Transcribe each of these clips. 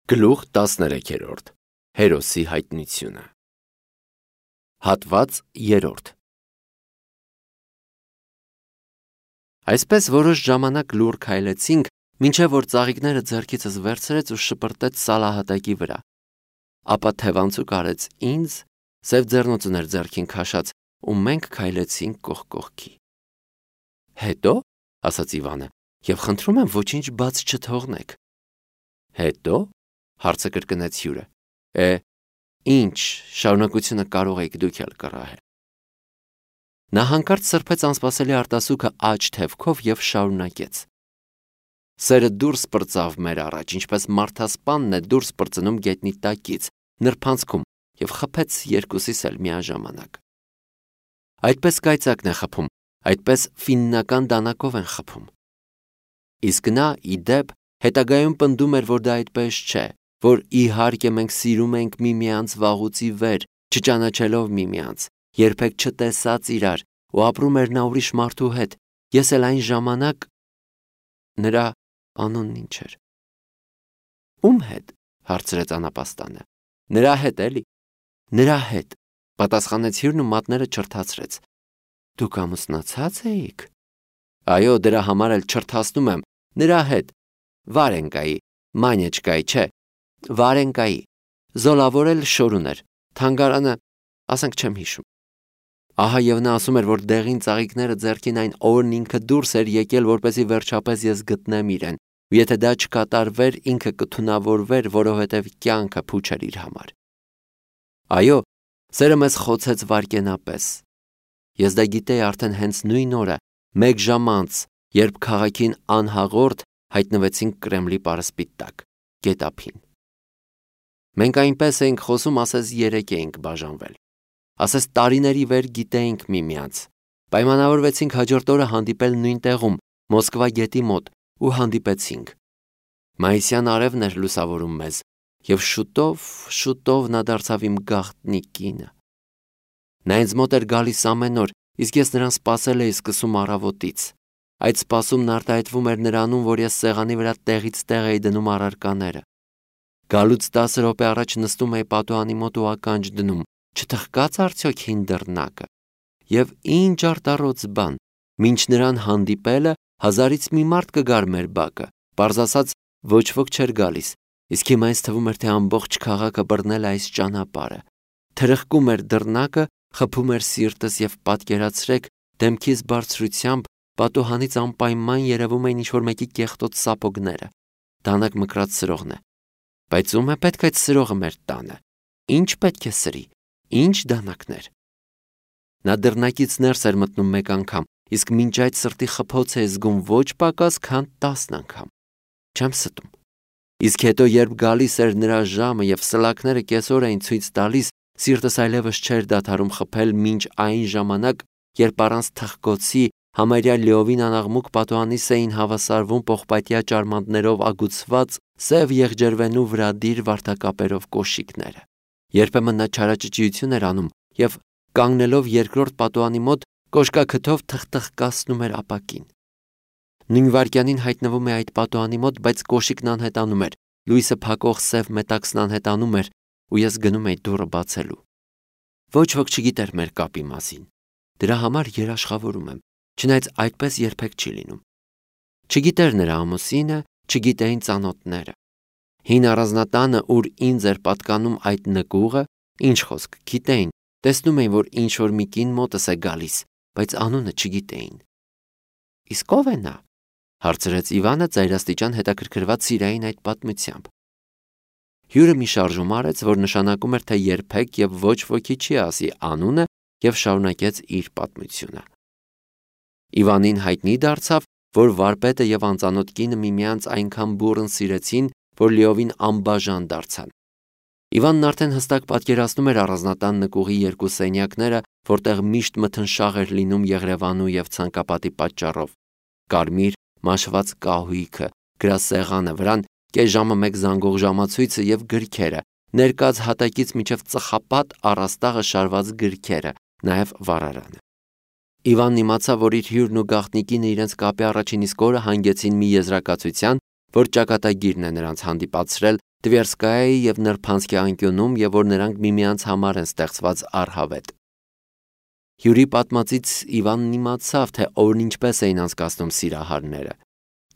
Գլուխ 13 Հերոսի հայտնությունը Հատված 3 Այսպես որոշ ժամանակ լուռ քայլեցինք, մինչև որ ծաղիկները ձեռքիցս վերցրեց ու շպրտեց Սալահատակի վրա, ապա թևանցուկ արեց ինձ, սև ձեռնոցն էր ձեռքին քաշած, ու մենք քայլեցինք կողք կողքի։ Հետո, ասաց Իվանը, և խնդրում եմ ոչինչ բաց չթողնեք։ Հետո, հարցը կրկնեց հյուրը, ինչ, շարունակությունը կարող եք դուք էլ կռահել։ Նա հանկարծ սրբեց անսպասելի արտասուքը աջ թևքով և շարունակեց. Սերը դուրս պրծավ մեր առաջ, ինչպես մարդասպանն է դուրս պրծնում գետնի տակից, նրբանցքում և խփեց երկուսիս էլ միաժամանակ։ Այդպես կայծակն է խփում, այդպես ֆիննական դանակով են խփում։ Իսկ նա, ի դեպ, հետագայում պնդում էր, որ դա այդպես չէ, որ իհարկե մենք սիրում ենք միմյանց վաղուց ի վեր, չճանաչելով միմյանց, երբեք չտեսած իրար, ու ապրում էր նա ուրիշ մարդու հետ, ես էլ այն ժամանակ… Նրա անունն ինչ էր։ Ում հետ, հարցրեց անապաստանը։ Նրա հետ էլի։ Նրա հետ, պատասխանեց հյուրն ու մատները չրթացրեց։ Դուք ամուսնացած էիք։ Այո, դրա համար էլ չրթացնում եմ, նրա հետ, Վարենկայի, Մանյեչկայի, չէ, Վարենկայի, զոլավորել շորուն էր, թանգարանը, ասենք չեմ հիշում։ Ահա և նա ասում էր, որ դեղին ծաղիկները ձեռքին այն օրն ինքը դուրս էր եկել, որպեսզի վերջապես ես գտնեմ իրեն, ու եթե դա չկատարվեր, ինքը կթունավորվեր, որովհետև կյանքը փուչ էր իր համար։ Այո, սերը մեզ խոցեց վայրկենապես։ Ես դա գիտեի արդեն հենց նույն օրը, մեկ ժամ անց, երբ քաղաքին անհաղորդ հայտնվեցինք Կրեմլի պարսպի տակ, գետափին։ Մենք այնպես էինք խոսում, ասես երեք էինք բաժանվել։ Ասես տարիների վեր գիտեինք միմյանց։ Պայմանավորվեցինք հաջորդ օրը հանդիպել նույն տեղում, Մոսկվա գետի մոտ, ու հանդիպեցինք։ Մայիսյան արևն էր լուսավորում մեզ, և շուտով նա դարձավ իմ գաղտնի կինը։ Նա ինձ մոտ էր գալիս ամեն օր, իսկ ես նրան սպասել էի սկսում առավոտից։ Այդ սպասումն արտահայտվում էր նրանում, որ ես սեղանի վրա տեղից տեղ էի դնում առարկաները։ Գալուց 10 րոպե առաջ նստում էի պատուհանի մոտ ու ականջ դնում, չթխկաց արդյոք հին դռնակը։ Եվ ինչ արտառոց բան, մինչ նրան հանդիպելը 1000-ից մի մարդ կգար մեր բակը, պարզ ասած ոչ ոք չէր գալիս, իսկ հիմա ինձ թվում էր, թե ամբողջ քաղաքը բռնել այս ճանապարհը։ Թրխկում էր դռնակը, խփում էր սիրտս և պատկերացրեք, դեմքիս բարձրությամբ պատուհանից անպայման երևում էին ինչ-որ մեկի կեղտոտ սապոգները։ Դանակ մկրած սրողն է։ Բայց ում է պետք այդ սրողը մեր տանը։ Ինչ պետք է սրի, ինչ դանակներ։ Նա դռնակից ներս էր մտնում մեկ անգամ, իսկ մինչ այդ սրտի խփոց է զգում ոչ պակաս, քան 10 անգամ։ Չեմ ստում։ Իսկ հետո, երբ գալիս էր նրա ժամը և սլաքները կեսօր էին ցույց տալիս, սիրտս այլևս չէր դադարում խփել մինչ այն ժամանակ, երբ առանց թխկոցի համարյա լիովին անաղմուկ պատուհանիս էին հավասարվում պողպատյա ճարմանտներով ագուցված սև եղջերվենու վրադիր վարդակապերով կոշիկները։ Երբեմն նա չարաճճիություն էր անում և, կանգնելով երկրորդ պատուհանի մոտ, կոշկաքթով թխթխկացնում էր ապակին։ Նույն վայրկյանին հայտնվում է այդ պատուհանի մոտ, բայց կոշիկն անհետանում էր, լույսը փակող սև մետաքսն անհետանում էր, ու ես գնում էի դուռը բացելու։ Ոչ ոք չգիտեր մեր կապի մասին։ Դրա համար երաշխավորում եմ, չնայած այդպես երբեք չի լինում։ Չգիտեր նրա ամուսինը, չգիտեին ծանոթները։ Հին առանձնատանը, ուր ինձ էր պատկանում այդ նկուղը, ինչ խոսք, գիտեին, տեսնում էին, որ ինչ-որ մի կին մոտս է գալիս, բայց անունը չգիտեին։ Իսկ ո՞վ է նա, հարցրեց Իվանը ծայրաստիճան հետաքրքրված Սիրային այդ պատմությամբ։ Հյուրը մի շարժում արեց, որ նշանակում էր, թե երբեք և ոչ ոքի չի ասի անունը, և շարունակեց իր պատմությունը։ Իվանին հայտնի դարձավ, որ վարպետը և անծանոթ կինը միմյանց այնքան բուռն սիրեցին, որ լիովին անբաժան դարձան։ Իվանն արդեն հստակ պատկերացնում էր առանձնատան նկուղի երկու սենյակները, որտեղ միշտ մթնշաղ էր լինում Եղրևանու և ցանկապատի պատճառով։ Կարմիր մաշված կահույքը, գրասեղանը, վրան կես ժամը մեկ զանգող ժամացույցը և գրքերը, ներկած հատակից մինչև ծխապատ առաստաղը շարված գրքերը, նաև վառարանը։ Իվանն իմացավ, որ իր հյուրն ու գաղտնիքինը իրենց կապի առաջին իսկ օրը հանգեցին մի եզրակացության, որ ճակատագիրն է նրանց հանդիպացրել Տվերսկայայի և Նրբանսկի անկյունում և որ նրանք միմյանց համար են ստեղծված առհավետ։ Հյուրի պատմածից Իվանն իմացավ, թե օրն ինչպես էին անցկացնում սիրահարները։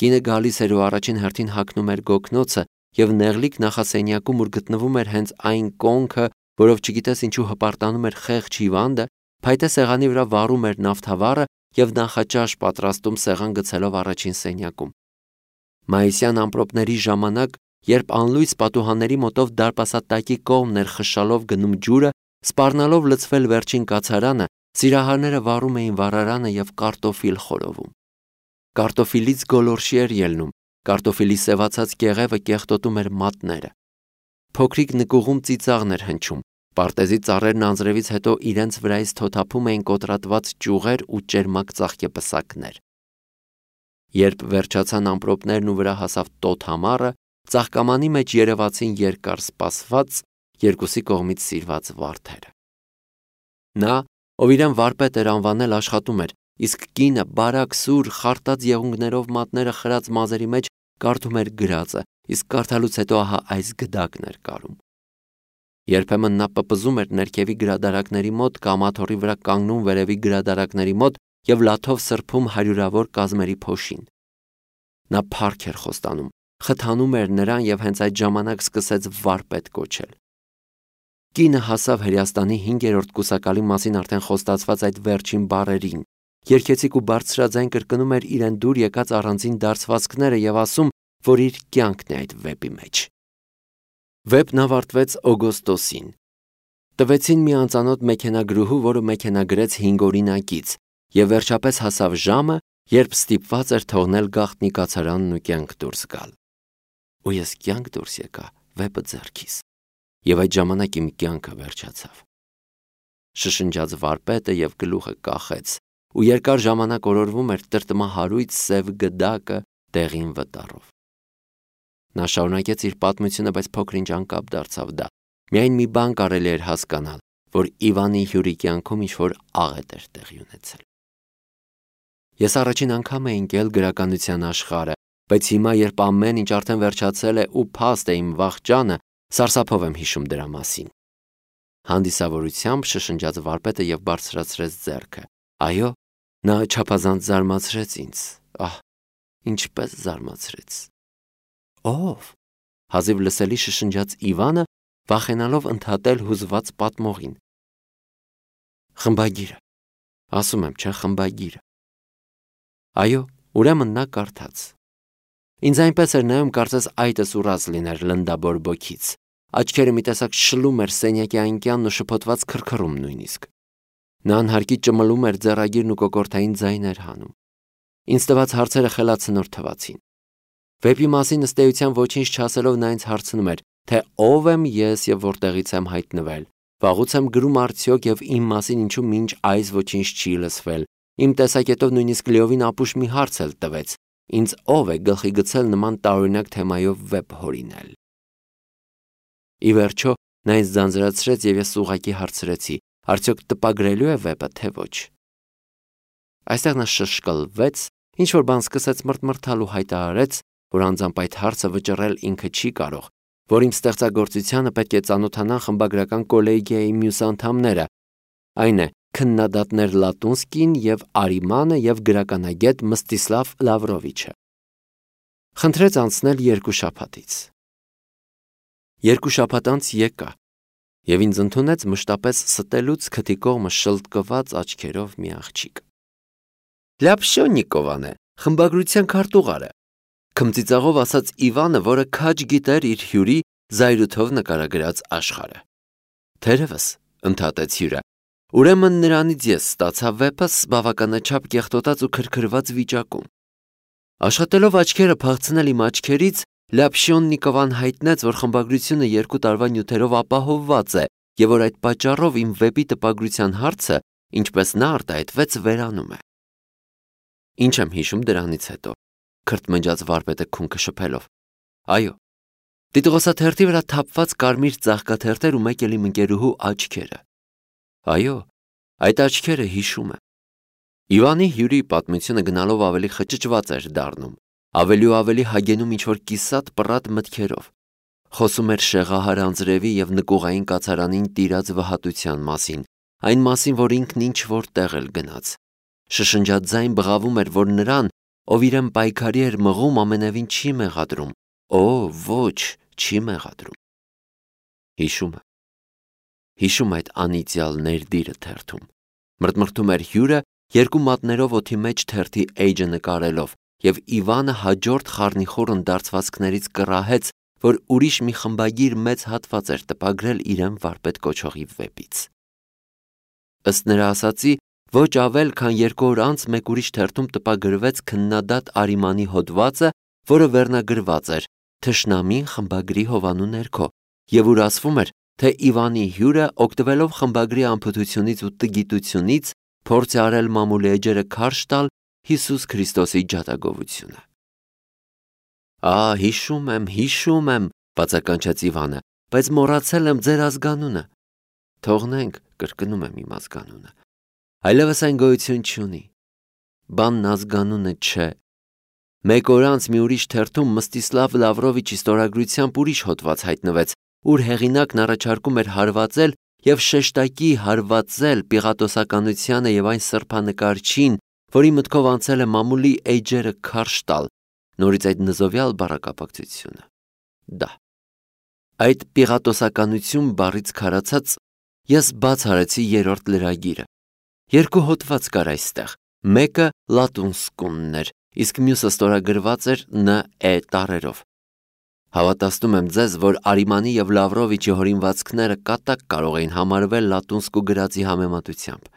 Կինը գալիս էր ու առաջին հերթին հագնում էր գոգնոցը և նեղլիկ նախասենյակում, ուր գտնվում էր հենց այն կոնքը, որով չգիտես ինչու հպարտանում էր խեղճ հիվանդը, փայտե սեղանի վրա վառում էր նավթավառը և նախաճաշ պատրաստում սեղան գցելով առաջին սենյակում։ Մայիսյան ամպրոպների ժամանակ, երբ անլույս պատուհանների մոտով դարպասատակի կողմն էր խշալով գնում ջուրը, սպառնալով լցվել վերջին կացարանը, սիրահարները վառում էին վառարանը և կարտոֆիլ խորովում։ Կարտոֆիլից գոլորշի էր ելնում, կարտոֆիլի սևացած կեղևը կեղտոտում էր մատները։ Փոքրիկ նկուղում ծիծաղն էր հնչում, պարտեզի ծառերն անձրևից հետո իրենց վրայից թոթափում էին կոտրատված ճյուղեր ու ճերմակ ծաղկեպսակներ։ Երբ վերջացան ամպրոպներն ու վրա հասավ տոտ համառը, ծաղկամանի մեջ երևացին երկար սպասված, երկուսի կողմից սիրված վարդերը։ Նա, ով իրեն վարպետ էր անվանել, աշխատում էր, իսկ կինը բարակ սուր խարտած եղունգներով մատները խրած մազերի մեջ կարդում էր գրածը, իսկ կարդալուց հետո ահա այս գդակն էր կարում։ Երբեմն նա պպզում էր ներքևի գրադարակների մոտ կամ աթոռի վրա կանգնում վերևի գրադարակների մոտ և լաթով սրբում հարյուրավոր կազմերի փոշին։ Նա փառք էր խոստանում, խթանում էր նրան և հենց այդ ժամանակ սկսեց վարպետ կոչել։ Կինը հասավ Հրեաստանի 5-րդ կուսակալի մասին արդեն խոստացված այդ վերջին բառերին, երգեցիկ ու բարձրաձայն կրկնում էր իրեն դուր եկած առանձին դարձվածքները և ասում, որ իր կյանքն է այդ վեպի մեջ։ Վեպն ավարտվեց օգոստոսին։ Տվեցին մի անծանոթ մեքենագրուհու, որը մեքենագրեց 5 օրինակից, և վերջապես հասավ ժամը, երբ ստիպված էր թողնել գաղտնի կացարանն ու կյանք դուրս գալ։ Ու ես կյանք դուրս եկա վեպը ձեռքիս, և այդ ժամանակ իմ կյանքը վերջացավ։ Շշնջաց վարպետը և գլուխը կախեց, ու երկար ժամանակ օրորվում էր տրտմահարույց սև գդակը դեղին վտարով։ Նա շարունակեց իր պատմությունը, բայց փոքր-ինչ անկապ դարձավ դա։ Միայն մի բան կարելի էր հասկանալ, որ Իվանի հյուրի կյանքում ինչ-որ աղետ էր տեղի ունեցել։ Ես առաջին անգամ էի ընկել գրականության աշխարհը, բայց հիմա, երբ ամեն ինչ արդեն վերջացել է ու փաստ է իմ վախճանը, սարսափով եմ հիշում դրա մասին։ Հանդիսավորությամբ շշնջաց վարպետը և բարձրացրեց ձեռքը։ Այո, նա չափազանց զարմացրեց ինձ։ Ահ, ինչպես զարմացրեց։ Ո՞վ։ Հազիվ լսելի շշնջաց Իվանը, վախենալով ընդհատել հուզված պատմողին։ Խմբագիրը։ Ասում եմ, չէ, խմբագիրը։ Այո, ուրեմն նա կարդաց։ Ինձ այնպես էր նայում, կարծես այտս ուռած լիներ լնդաբորբոքից։ Աչքերը մի տեսակ շլում էր սենյակի այնկյանն ու շփոթված քրքռում նույնիսկ։ Նա անհարկի ճմլում էր ձեռագիրն ու կոկորդային ձայներ հանում։ Ինձ տված հարցերը խելացնոր թվացին։ Վեպի մասին ըստ էության ոչինչ չասելով նա ինձ հարցնում էր, թե ով եմ ես և որտեղից եմ հայտնվել, վաղուց եմ գրում արդյոք և իմ մասին ինչու մինչ այս ոչինչ չի լսվել, իմ տեսակետով նույնիսկ լիովին ապուշ մի հարց էլ տվեց, ինձ ով է գլխի գցել նման տարօրինակ թեմայով վեպ հորինել։ Ի վերջո նա ինձ ձանձրացրեց և ես ուղղակի հարցրեցի, արդյոք տպագրելու է վեպը, թե ոչ։ Այստեղ նա շշկլվեց, ինչ-որ բան սկսեց մռթմռթալ ու հայտարարեց, որ անձամբ այդ հարցը վճռել ինքը չի կարող, որ իմ ստեղծագործությանը պետք է ծանոթանան խմբագրական կոլեգիայի մյուս անդամները, այն է, քննադատներ Լատունսկին և Արիմանը և գրականագետ Մստիսլավ Լավրովիչը։ Խնդրեց անցնել 2 շաբաթից։ 2 շաբաթ անց եկա, և ինձ ընդունեց մշտապես ստելուց քթի կողմը շլտկված աչքերով մի աղջիկ։ Լապշոննիկովան է, խմբագրության քարտուղարը, քմծիծաղով ասաց Իվանը, որը քաջ գիտեր իր հյուրի զայրույթով նկարագրած աշխարհը։ Թերևս, ընդհատեց հյուրը, ուրեմն նրանից ես ստացա վեպս բավականաչափ կեղտոտած ու քրքրված վիճակում։ Աշխատելով աչքերը փախցնել իմ աչքերից, Լապշոննիկովան հայտնեց, որ խմբագրությունը 2 տարվա նյութերով ապահովված է և որ այդ պատճառով իմ վեպի տպագրության հարցը, ինչպես նա արտահայտվեց, վերանում է։ Ինչ եմ հիշում դրանից հետո, քրթմնջաց վարպետը քունքը շփելով։ Այո, տիտղոսաթերթի վրա թափված կարմիր ծաղկաթերթեր ու մեկ էլ իմ ընկերուհու աչքերը։ Այո, այդ աչքերը հիշում եմ։ Իվանի հյուրի պատմությունը գնալով ավելի խճճված էր դառնում, ավելի ու ավելի հագենում ինչ-որ կիսատ պռատ մտքերով։ Խոսում էր շեղահար անձրևի և նկուղային կացարանին տիրած վհատության մասին, այն մասին, որ ինքն ինչ-որ տեղ էլ գնաց։ Շշնջաց ձայն բղավում էր, որ նրան, ով իրեն պայքարի էր մղում, ամենևին չի մեղադրում։ Օ, ոչ, չի մեղադրում։ Հիշում այդ անիծյալ ներդիրը թերթում։ Մրթմրթում էր հյուրը, երկու մատներով օդի մեջ թերթի էջը նկարելով, և Իվանը հաջորդ խառնիխուռն դարձվածքներից կռահեց, որ ուրիշ մի խմբագիր մեծ հատված էր տպագրել իրեն վարպետ կոչողի վեպից։ Ըստ նրա ասացի, ոչ ավել, քան 2 օր անց մեկ ուրիշ թերթում տպագրվեց քննադատ Արիմանի հոդվածը, որը վերնագրված էր «Թշնամին խմբագրի հովանու ներքո», և ուր ասվում էր, թե Իվանի հյուրը, օգտվելով խմբագրի անփութությունից ու տգիտությունից, փորձ է արել մամուլի էջերը քարշ տալ Հիսուս Քրիստոսի ջատագովությունը։ Հիշում եմ, բացականչեց Իվանը, բայց մոռացել եմ ձեր ազգանունը։ Թողնենք, կրկնում եմ իմ ազգանունը։ Այլևս այն գոյություն չունի։ Բանն ազգանունը չէ։ Մեկ օր անց մի ուրիշ թերթում Մստիսլավ Լավրովիչի ստորագրությամբ ուրիշ հոդված հայտնվեց, ուր հեղինակն առաջարկում էր հարվածել և շեշտակի հարվածել պիղատոսականությանը և այն սրբանկարչին, որի մտքով անցել է մամուլի էջերը քարշ տալ, նորից այդ նզովյալ բառակապակցությունը։ Դա։ Այդ պիղատոսականություն բառից քարացած ես բաց արեցի 3-րդ լրագիրը։ 2 հոդված կար այստեղ, մեկը լատունսկունն էր, իսկ մյուսը ստորագրված էր Ն.Է. տառերով։ Հավատացնում եմ ձեզ, որ Արիմանի և Լավրովիչի հորինվածքները կատակ կարող էին համարվել լատունսկու գրածի համեմատությամբ։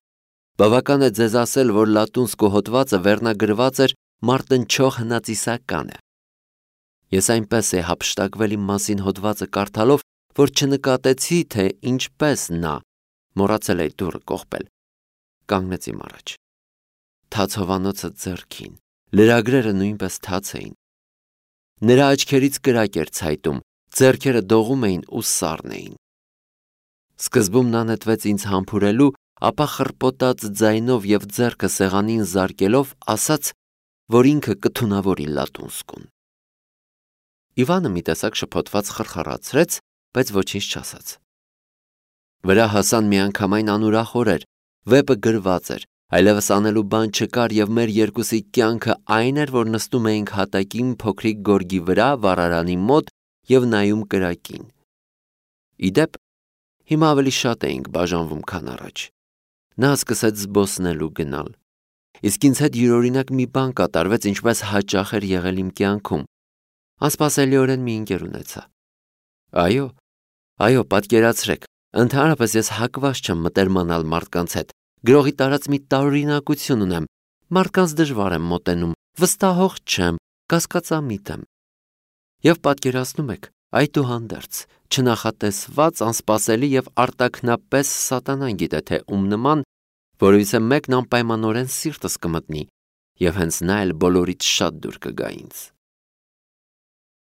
Բավական է ձեզ ասել, որ լատունսկու հոդվածը վերնագրված էր մարտնչող հնածիսականը։ Ես այնպես է հափշտակվել իմ մասին հոդվածը կարդալով, որ չնկատեցի, թե ինչպես նա, մոռացել էի դուռը կողպել, կանգնեց իմ առաջ։ Թաց հովանոցը ձեռքին, լրագրերը նույնպես թաց էին։ Նրա աչքերից կրակ էր ցայտում, ձեռքերը դողում էին ու սառն էին։ Սկզբում նա նետվեց ինձ համբուրելու, ապա խռպոտած ձայնով և ձեռքը սեղանին զարկելով ասաց, որ ինքը կթունավորի լատունսկուն։ Իվանը մի տեսակ շփոթված խրխռացրեց, բայց ոչինչ չասաց։ Վրա հասան միանգամայն անուրախ օրեր, վեպը գրված էր, այլևս անելու բան չկար և մեր երկուսի կյանքը այն էր, որ նստում էինք հատակին փոքրիկ գորգի վրա վառարանի մոտ և նայում կրակին։ Ի դեպ, հիմա ավելի շատ էինք բաժանվում, քան առաջ։ Նա սկսեց զբոսնելու գնալ։ Իսկ ինձ հետ յուրօրինակ մի բան կատարվեց, ինչպես հաճախ էր եղել իմ կյանքում։ Անսպասելիորեն մի ընկեր ունեցա։ Այո, պատկերացրեք, ընդհանրապես ես հակված չեմ մտերմանալ մարդկանց հետ, գրողի տարած մի տարօրինակություն ունեմ, մարդկանց դժվար եմ մոտենում, վստահող չեմ, կասկածամիտ եմ։ Եվ պատկերացնում եք, այդուհանդերձ, չնախատեսված, անսպասելի և արտաքնապես սատանան գիտե թե ում նման, որովհետև մեկն անպայմանորեն սիրտս կմտնի, և հենց նա էլ բոլորից շատ դուր կգա ինձ։